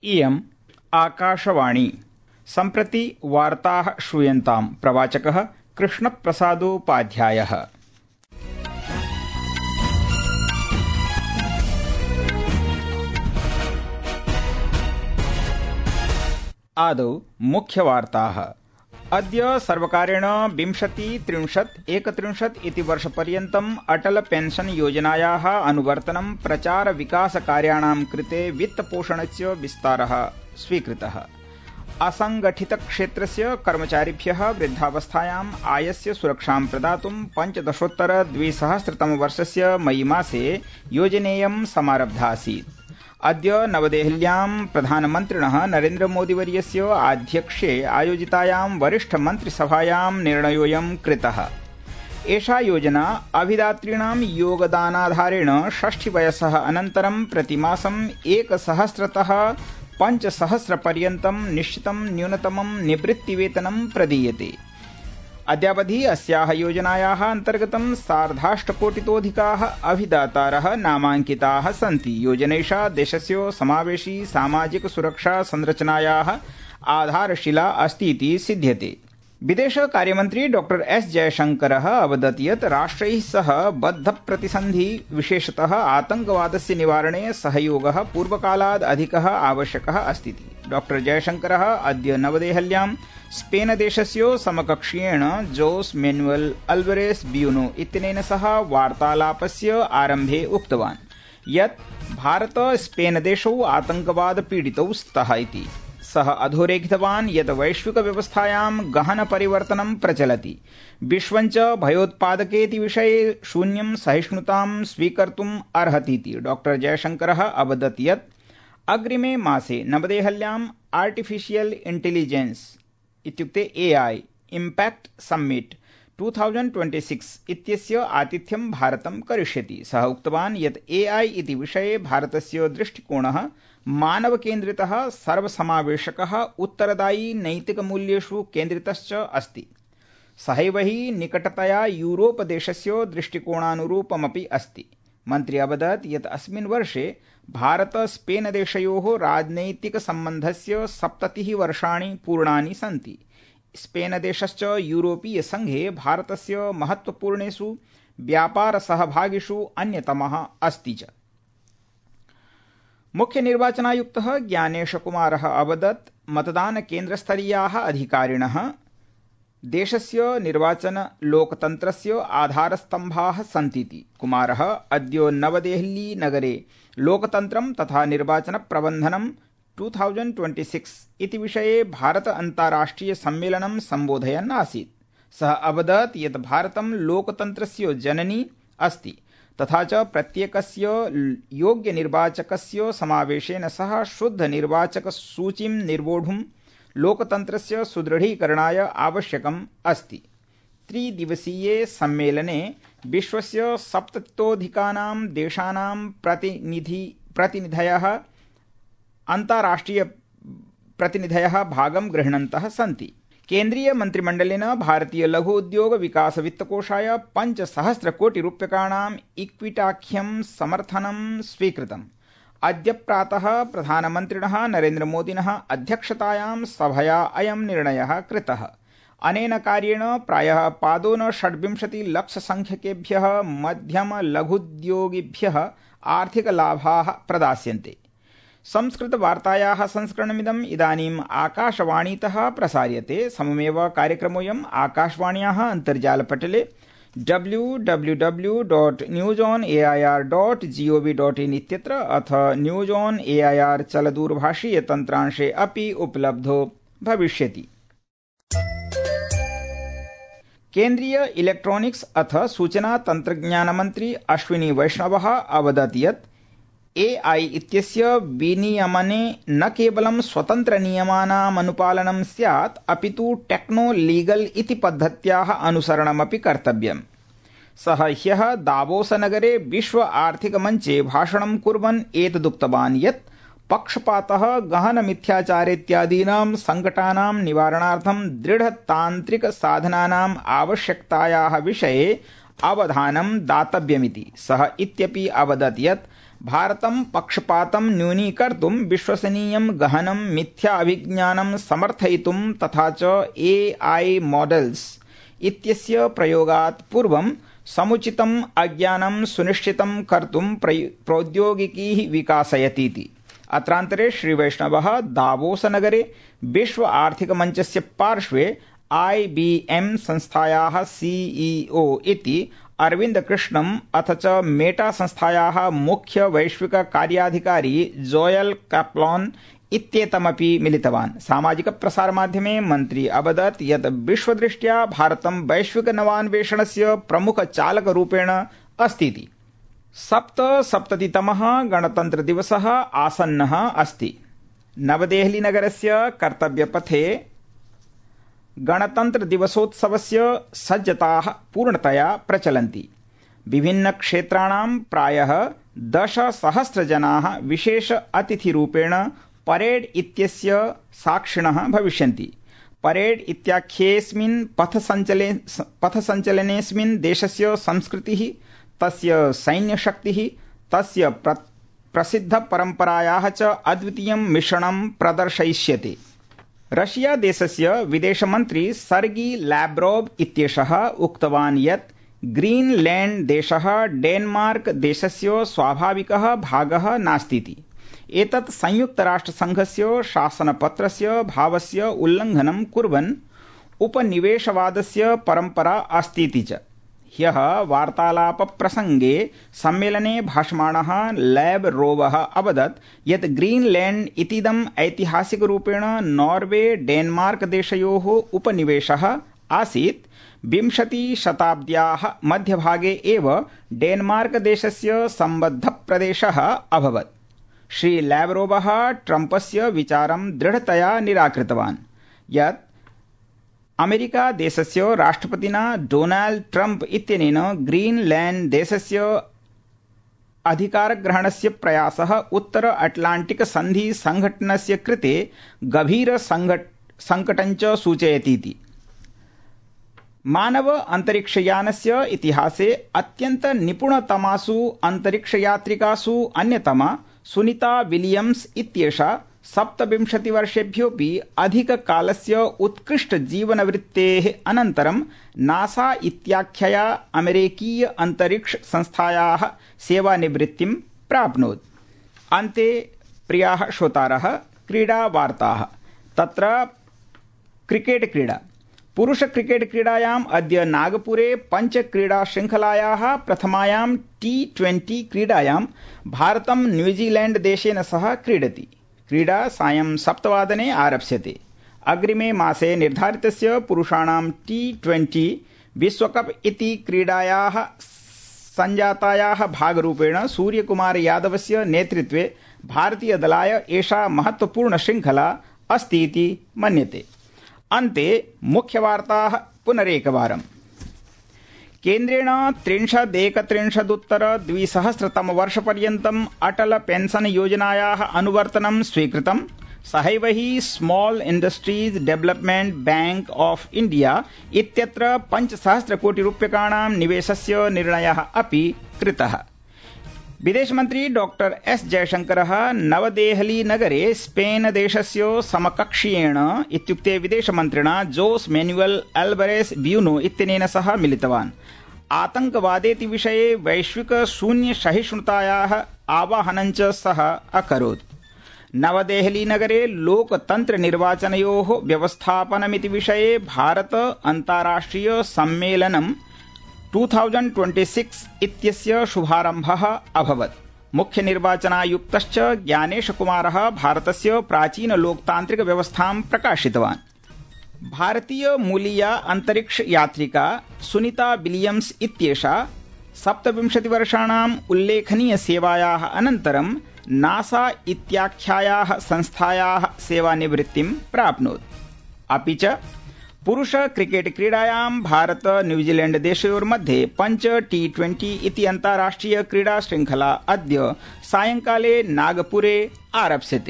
इयम् आकाशवाणी। सम्प्रति वार्ताः श्रूयन्ताम्। प्रवाचकः कृष्णप्रसादोपाध्यायः। आदौ मुख्यवार्ताः। अद्य सर्वकारेण 20-30-31 इति वर्षपर्यन्तम् अटल पेंशन योजनायाः अनुवर्तनं प्रचार विकास कार्याणां कृते वित्तपोषणस्य विस्तारः स्वीकृतः। असंगठित क्षेत्रस्य कर्मचारिभ्यः वृद्धावस्थायाम् आयस्य सुरक्षां प्रदातुं 15-2000 मई मासे योजनेयं समारब्धा आसीत्। अद्य नवदेहल्यां प्रधानमन्त्रिणः नरेन्द्रमोदीवर्यस्य आध्यक्ष्ये आयोजितायां वरिष्ठमन्त्रिसभायां निर्णयोऽयं कृतः। एषा योजना अभिदातॄणां योगदानाधारेण 60 वयसः अनन्तरं प्रतिमासं 1000तः 5000 पर्यन्तं निश्चितं न्यूनतमं निवृत्तिवेतनं प्रदीयते। अद्यावधि अस्याः योजनायाः अन्तर्गतं 8.5 अभिदातारः नामाङ्किताः सन्ति। योजनैषा देशस्य समावेशी सामाजिक सुरक्षा संरचनायाः आधारशिला अस्ति इति सिध्यते। विदेश कार्यमन्त्री डॉ एस जयशंकरः अवदत् यत् राष्ट्रैः सह बद्धप्रतिसन्धि विशेषतः आतंकवादस्य निवारणे सहयोगः पूर्वकालात् अधिकः आवश्यकः अस्ति। डॉ जयशंकरः अद्य नवदेहल्यां स्पेन देशस्य समकक्षीयेण जोस मैनुअल अल्वारेस ब्यूनो इत्यनेन सह वार्तालापस्य आरम्भे उक्तवान् यत् भारत स्पेन देशौ आतंकवाद पीडितौ स्तः इति। सः अधोरेखितवान् यत् वैश्विक व्यवस्थायां गहन परिवर्तनं प्रचलति। विश्वञ्च भयोत्पादकेति विषये शून्यं सहिष्णुतां स्वीकर्तुम् अर्हतीति डॉ जयशंकरः अवदत् यत् अग्रिमे मासे नवदेहल्याम् आर्टिफिशियल इंटेलिजेंस इत्युक्ते AI इम्पैक्ट समिट 2026 इत्यस्य आतिथ्यं भारतं करिष्यति। सः उक्तवान् यत् AI इति विषये भारतस्य दृष्टिकोणः मानवकेन्द्रितः, सर्वसमावेशकः, उत्तरदायी नैतिकमूल्येषु केन्द्रितश्च अस्ति। सहैव हि निकटतया यूरोप देशस्य दृष्टिकोणानुरूपमपि अस्ति। मन्त्री अवदत् यत् अस्मिन् वर्षे भारत स्पेन देशयोः राजनैतिकसम्बन्धस्य 70 वर्षाणि पूर्णानि सन्ति। स्पेन देशश्च यूरोपीय संघे भारतस्य महत्वपूर्णेषु व्यापारसहभागिषु अन्यतमः अस्ति च। मुख्य निर्वाचनायुक्तः ज्ञानेशकुमारः अवदत् मतदानकेन्द्रस्तरीयाः अधिकारिणः देशस्य निर्वाचन लोकतन्त्रस्य आधारस्तम्भाः सन्तीति। कुमारः अद्य नवदेहली नगरे लोकतन्त्रं तथा निर्वाचन प्रबन्धनं 2026 इति विषये भारत अन्ताराष्ट्रिय सम्मेलनं सम्बोधयन् आसीत्। सः अवदत् यत् भारतं लोकतन्त्रस्य जननी अस्ति तथा च प्रत्येकस्य योग्य निर्वाचकस्य समावेशेन सह शुद्ध निर्वाचक सूचीं निर्वोढुं लोकतन्त्रस्य सुदृढीकरणाय आवश्यकम् अस्ति। 3 दिवसीये सम्मेलने विश्वस्य 70तोऽधिकानां देशानां प्रतिनिधयः अन्ताराष्ट्रिय प्रतिनिधयः भागं गृह्णन्तः सन्ति। केन्द्रीय मन्त्रिमण्डलेन भारतीय लघु उद्योग विकास वित्तकोषाय 5,000 कोटि रूप्यकाणाम् इक्विटाख्यं समर्थनं स्वीकृतम्। अद्य प्रातः प्रधानमन्त्रिणः नरेन्द्रमोदिनः अध्यक्षतायां सभया अयं निर्णयः कृतः। अनेन कार्येण प्रायः 25 लक्षसंख्यकेभ्यः मध्यम लघुद्योगिभ्यः आर्थिकलाभाः प्रदास्यन्ते। संस्कृतवार्तायाः संस्करणमिदम् इदानीम् आकाशवाणीतः प्रसार्यते। सममेव कार्यक्रमोऽयम् आकाशवाण्याः अन्तर्जालपटले www.newsonair.gov.in इत्यत्र अथ न्यूज ऑन एआईआर चलदूरभाषीयतन्त्रांशे अपि उपलब्धो भविष्यति। केन्द्रीय इलेक्ट्रॉनिक्स अथ सूचना तन्त्रज्ञानमन्त्री अश्विनी वैष्णवः अवदत् यत् AI इत्यस्य विनियमने न केवलं स्वतन्त्रनियमानामनुपालनं स्यात् अपितु टेक्नो लीगल इति पद्धत्याः अनुसरणमपि कर्तव्यम्। सः ह्यः दावोसनगरे विश्व आर्थिकमञ्चे भाषणं कुर्वन् एतदुक्तवान् यत् पक्षपातः, गहनमिथ्याचारेत्यादीनां सङ्कटानां निवारणार्थं दृढतान्त्रिकसाधनानाम् आवश्यकतायाः विषये अवधानं दातव्यमिति। सः इत्यपि अवदत् यत् भारतं पक्षपातं न्यूनीकर्तुं विश्वसनीयं गहनं मिथ्या अभिज्ञानं समर्थयितुं तथा च AI मॉडल्स इत्यस्य प्रयोगात् पूर्वं समुचितम् अज्ञानं सुनिश्चितं कर्तुं प्रौद्योगिकी विकासयतीति। अत्रान्तरे श्रीवैष्णवः दावोसनगरे विश्व आर्थिकमञ्चस्य पार्श्वे IBM संस्थायाः CEO इति अरविन्द कृष्णम् अथ च मेटा संस्थायाः मुख्य वैश्विक कार्याधिकारी जोयल कैप्लॉन इत्येतमपि मिलितवान्। सामाजिक प्रसारमाध्यमे मन्त्री अवदत् यत् विश्वदृष्ट्या भारतं वैश्विक नवान्वेषणस्य प्रमुख चालकरूपेण अस्तीति। 77तमः गणतन्त्रदिवसः आसन्नः अस्ति। नवदेहलीनगरस्य कर्तव्यपथे गणतन्त्रदिवसोत्सवस्य सज्जताः पूर्णतया प्रचलन्ति। विभिन्नक्षेत्राणां प्रायः 10,000 जनाः विशेष अतिथिरूपेण परेड इत्यस्य साक्षिणः भविष्यन्ति। परेड इत्याख्येऽस्मिन् पथसञ्चलनेऽस्मिन् देशस्य संस्कृतिः, तस्य सैन्यशक्तिः, तस्य प्रसिद्धपरम्परायाः च अद्वितीयं मिश्रणं प्रदर्शयिष्यते। रशिया देशस्य विदेशमन्त्री सर्गी लैव्रोव इत्येषः उक्तवान् यत् ग्रीनलैंड देशः डेनमार्क देशस्य स्वाभाविकः भागः नास्तीति। एतत् संयुक्तराष्ट्रसङ्घस्य शासनपत्रस्य भावस्य उल्लङ्घनं कुर्वन् उपनिवेशवादस्य परम्परा अस्तीति च। ह्यः वार्तालापप्रसङ्गे सम्मेलने भाषमाणः लैव्रोवः अवदत् यत् ग्रीनलैंड इतीदम् ऐतिहासिकरूपेण नॉर्वे डेनमार्क देशयोः उपनिवेशः आसीत्। 20 शताब्द्याः मध्यभागे एव डेनमार्क देशस्य सम्बद्धप्रदेशः अभवत्। श्री लैव्रोवः ट्रम्पस्य विचारं दृढतया निराकृतवान् यत् अमेरिका देशस्य राष्ट्रपतिना डोनाल्ड ट्रम्प इत्यनेन ग्रीनलैंड देशस्य अधिकारग्रहणस्य प्रयासः उत्तर अटलाण्टिक सन्धि संघटनस्य कृते गभीर संकटञ्च सूचयतीति। मानव अंतरिक्षयानस्य इतिहासे अत्यन्त निपुणतमासु अंतरिक्षयात्रिकासु अन्यतमा सुनीता विलियम्स इत्येषा 27 वर्षेभ्योऽपि अधिककालस्य उत्कृष्टजीवनवृत्तेः अनन्तरं नासा इत्याख्यया अमेरिकीय अंतरिक्ष संस्थायाः सेवानिवृत्तिं प्राप्नोत्। अन्ते प्रियाः श्रोतारः, क्रीडावार्ताः। तत्र क्रिकेट क्रीडा। पुरुष क्रिकेट क्रीडायाम् अद्य नागपुरे पञ्चक्रीडाशृङ्खलायाः प्रथमायां T20 क्रीडायां भारतं न्यूजीलैंड देशेन सह क्रीडति। क्रीडा सायं 7 वादने आरप्स्यते। अग्रिमे मासे निर्धारितस्य पुरुषाणां T20 विश्वकप इति क्रीडायाः सञ्जातायाः भागरूपेण सूर्यकुमार यादवस्य नेतृत्वे भारतीयदलाय एषा महत्वपूर्ण शृङ्खला अस्ति इति मन्यते। अन्ते मुख्यवार्ताः पुनरेकवारम्। केन्द्रेण 31-31-2000 अटल पेंशन योजनायाः अनुवर्तनं स्वीकृतम्। सहैव हि small industries development bank of India इत्यत्र 5,000 कोटि रूप्यकाणां निवेशस्य निर्णयः अपि कृतः। विदेशमन्त्री डॉक्टर एस जयशंकरः नवदेहली नगरे स्पेन देशस्य समकक्षीयेण इत्युक्ते विदेशमन्त्रिणा जोस मैनुअल अल्वारेस ब्यूनो इत्यनेन सह मिलितवान्। आतंकवादेति विषये वैश्विक शून्य सहिष्णुतायाः आवाहनं च सः अकरोत्। नवदेहली नगरे लोकतन्त्र निर्वाचनयोः व्यवस्थापनमिति विषये भारत अन्ताराष्ट्रिय सम्मेलनं 2026 इत्यस्य शुभारम्भः अभवत्। मुख्य निर्वाचनायुक्तश्च ज्ञानेश कुमारः भारतस्य प्राचीन लोकतान्त्रिक व्यवस्थां प्रकाशितवान्। भारतीय मूलीया अंतरिक्ष यात्रिका सुनीता विलियम्स इत्येषा 27 वर्षाणाम् उल्लेखनीय सेवायाः अनन्तरं नासा इत्याख्यायाः संस्थायाः सेवानिवृत्तिं प्राप्नोत्। अपि च पुरुष क्रिकेट क्रीडायां भारत न्यूजीलैंड देशयोर्मध्ये 5 T20 इति अन्ताराष्ट्रिय क्रीडा शृङ्खला अद्य सायंकाले नागपुरे आरप्स्यते।